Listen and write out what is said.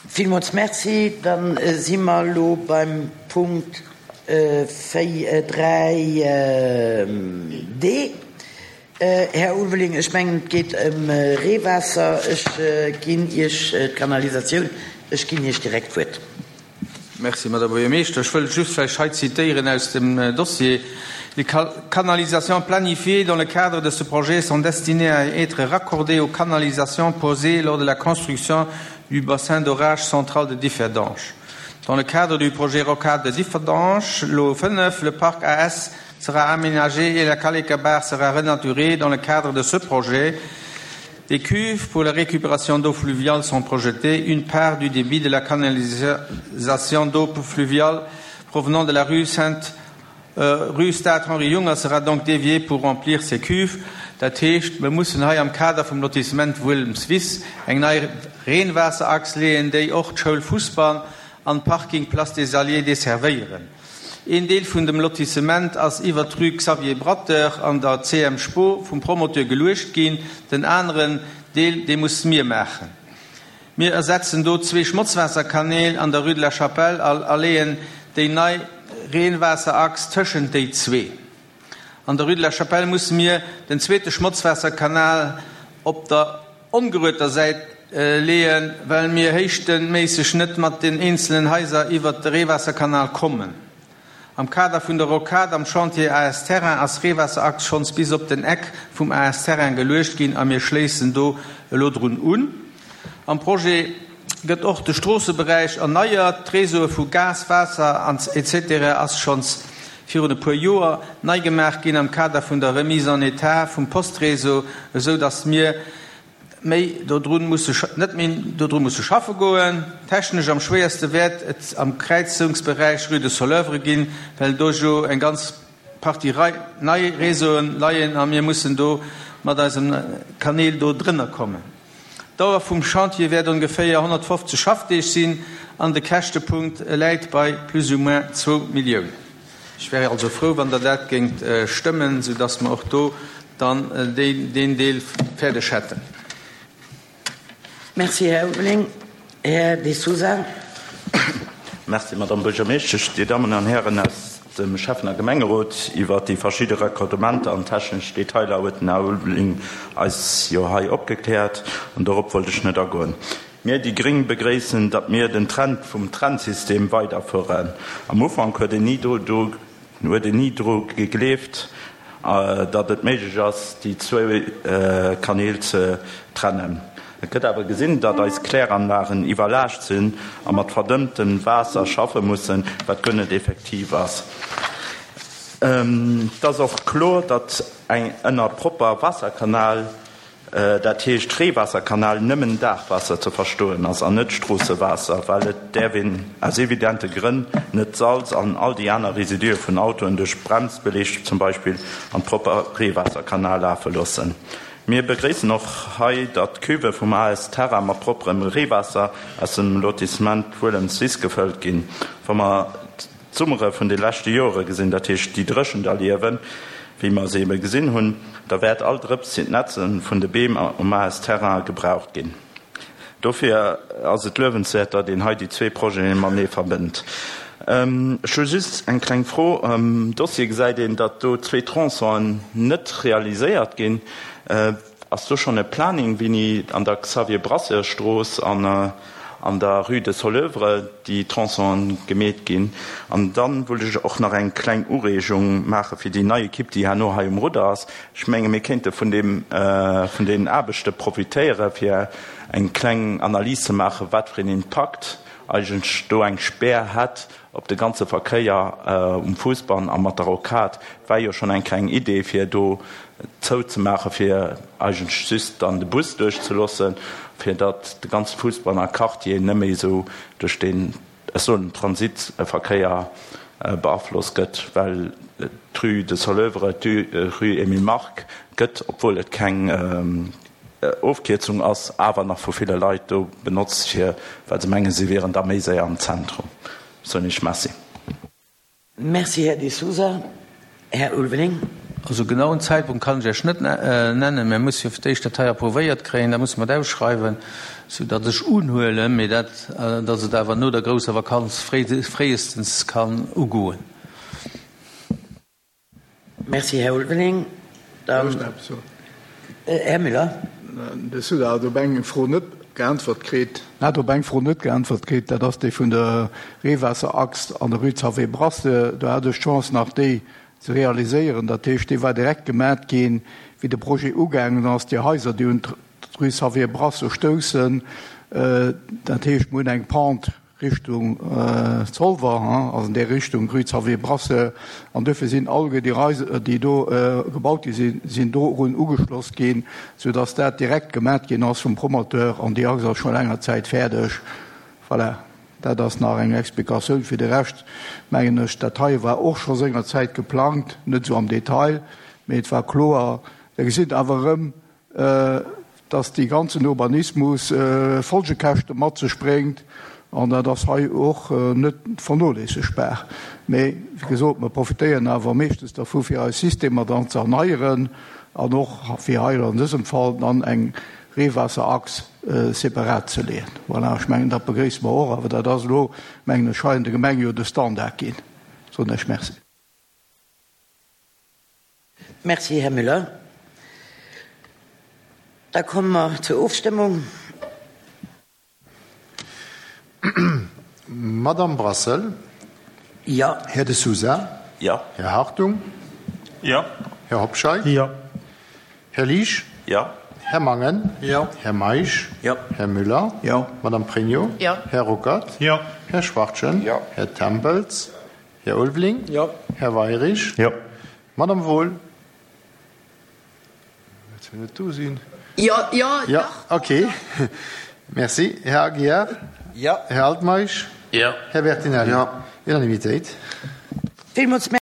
Villmools Merci. Da si mer elo beim Punkt 4, 3 D. Här Ulveling, ech mengen, et geet ëm Reewaasser. Ech ginn Iech d'Kanalisatioun. Ech ginn Iech direkt d'Wuert. Merci, Madame Buergermeeschter. Ech wëll just vläicht hei zitéieren aus dem Dossier, Les canalisations planifiées dans le cadre de ce projet sont destinées à être raccordées aux canalisations posées lors de la construction du bassin d'orage central de Differdange. Dans le cadre du projet Rocade de Differdange, lot 5, le parc AS sera aménagé et la Kalekabar sera renaturée dans le cadre de ce projet. Des cuves pour la récupération d'eau fluviale sont projetées. Une part du débit de la canalisation d'eau fluviale provenant de la rue Sainte euh, rue Stade Henri Junger sera donc déviée pour remplir ces cuves. Dat heescht, mir mussen hei am Kader vum Lotissement Wuelmswiss eng nei Reenwaasserachs leeën, déi och d'Schoul Fussball an d'Parking Place des Alliés desservéieren. Een Deel vun dem Lotissement ass iwwert d'Rue Xavier Brateur an der CM Spo vum Promoteur geluecht ginn, den aneren Deel, dee musse mir maachen. Mir ersetzen do zwee Schmotzwaasserkanäl an der Rue de la Chapelle a leeën déi nei Reenwaasserachs tëschent déi zwee. An der Rue de la Chapelle musse mir den zweete Schmotzwaasserkanal op der ongerueter Säit leeën, well mir héichtenméisseg net mat den eenzelen Haiser iwwert de Reewaasserkanal kommen. Am Kader vun der Rocade am Chantier AS Terrain ass Reewaasserachs schonns bis op den Eck vum AS Terrain geluecht ginn a mir schléissen do elo drun un. Am Projet gëtt och de Stroosseberäich erneiert, d'Réseaue vu Gas, Waasser an etc. Ass schonns virun e puer Joer nei gemaach ginn am Kader vun der Remise en état vum Postréseau, esou datt mir méi dodrun musse net méi dodru musse schaffe goen. Technesch am schwéierste wäert et am Kräizungsberäich Rue de Soleuvre ginn, well do jo eng ganz Partie nei Réseauen leien a mir mussen do mat eisem Kanäl do drënner kommen. D'Dauer vum Chantier wäert ongeféier 150 Schaffdeeg sinn an de Käschtepunkt läit bei plus ou moins zwou Milliounen. Ech wär also frou, wann Der dat géingt stëmmen, soudass mer och do dann deen Deel fäerdeg hätten. Merci, Här Ulveling. Här De Sousa. Merci, Madame Buergermeeschtesch. Dir Dammen an Hären aus dem Schäffen a Gemengerot, iwwert déi verschidde Raccordementer an technesch Detailer huet den Här Ulveling eis jo hei opgekläert an dorop wollt ech net agoen. Mir, déi gréng, begréissen, datt mir den Trend vum Trennsystem weiderfueren. Am Ufank huet een ni huet een ni dru gegleeft, datt et méiglech ass, déi zwou Kanäl ze trennen. Et gëtt awer gesinn, datt eis Kläranlagen iwwerlaascht sinn a mat verdënntem Waasser schaffe mussen, wat guer net effektiv ass. Et ass och kloer, datt eng ënner propper Waasserkanal dat heescht Reewaasserkanal, nëmmen Daachwaasser ze verstoen ass an net Stroossewaasser, well et däerf een aus evidente Grënn net d'Salz an all déi aner Residue vun Autoen duerch Bremsbeleg zum Beispill an propper Reewaasserkanal lafe loossen. Mir begréissen och hei, datt d'Cuve vum AS Terra mat propperem Reewaasser aus dem Lotissement Wuelemswiss gefëllt ginn. Wa mer d'Summere vun de leschte Joere gesinn, dat heescht déi Dréchent erliewen, wéi mer se ebe gesinn hunn, da wäert all Drëps fir d'Netze vun de Beem um AS Terrain gebraucht ginn. Dofir ass et luewenswäert, datt een hei déi zwee Projete matenee verbënnt. Ech hu just eng kleng Fro. Am Dossier gesäit een, datt do zwee Tronçonen net realiséiert ginn. Ass do schonn e Planning, wéini an der Xavier Brasseur Strooss an an der Rue de Soleuvre déi Tronçonen gemeet ginn? An dann wollt ech och nach eng kleng Ureegung maache fir déi nei Equipe, déi herno hei um Rudder ass. Ech menge mir kéinte vun deem, vun deenen Aarbechte profitéiere fir eng kleng Analys ze maachen, wat fir een Impakt eigentlech do eng Spär hätt op de ganze Verkéier um Fousbann a mat der Rocade. War jo schonn eng kleng Idee fir do zou ze maache fir eigentlech just dann de Bus duerchzeloossen, fir datt de ganze Fousbanner Quartier net méi esou duerch deen, ech soen, Transitverkéier beaflosst gëtt, well d'Rue de Soleuvre, d'Rue Emile Mark gëtt, obwuel et keng Ofkierzung ass, awer nach vu ville Leit do benotzt, fir, well se mengen, si wieren da méi séier am Zentrum. Soen ech Merci. Merci, Här De Sousa. Här Ulveling. Also genauen Zäitpunkt kann ech Iech net nennen. Mir musse jo fir d'éischt dat hei approuvéiert kréien, da musse mer et ausschreiwen, soudatt ech unhuelen, mee dat, datt et awer no der grousser Vakanz fréiestens kann ugoen. Merci, Här Ulveling. Dann Här Müller. De Souda hat op eng Fro net geäntwert kritt. Hat op eng Fro net geäntwert kritt, dat ass déi vun der Reewaasserachs an der Rue Xavier Brasse. Do hat ech d'Chance nach déi ze realiséieren. Dat heescht, déi war direkt gemat ginn, wéi de Projet ugaangen ass. Déi Haiser, déi un d'Rue Xavier Brasse stoussen, dat heescht, mir hunn eng Pente Richtung Zolwer, also an där Richtung, Rue Xavier Brasseur, an duerfir sinn alleguer déi Haiser, déi do gebaut gi sinn, sinn dorun ugeschloss ginn, soudass dat direkt gemat ginn ass vum Promoteur an déi Achs ass scho länger Zäit fäerdeg. Voilà, dat ass nach eng Explikatioun. Fir de Rescht mengen ech, dat hei war och scho sengerzäit geplangt, net esou am Detail, mee et war kloer. Der gesitt awer erëm, dass dee ganzen Urbanismus Folgekäschte mat sech bréngt, an dat ass hei och net vernoléissegbar. Mee, wéi gesot, mer profitéieren awer meeschtens dervu fir eis Systemer dann ze erneieren an och fir hei an dësem Fall dann eng Reewaasserachs separat ze leeën. Voilà, ech mengen, dat begréisse mer och, awer dat ass elo, mengen ech, hei an der Gemeng jo de Standard ginn. Soen ech Merci. Merci, Här Müller. Da komme mer zur Ofstëmmung. Madamm Brassel. Jo. Här De Sousa. Jo. Här Hartung. Jo. Här Hobscheit. Jo. Här Liesch. Jo. Här Mangen. Jo. Här Meisch. Jo. Här Müller. Jo. Madamm Pregno. Jo. Här Ruckert. Jo. Här Schwachtgen. Jo. Här Tempels. Här Ulveling. Jo. Här Weirich. Jo. Madamm Wohl. Wäert se net do sinn? Jo, jo, Jo, okay. Merci. Här Aguiar. Jo. Här Altmeisch. Jo. Här Bertinelli. Jo. Unanimitéit. Villmools Merci.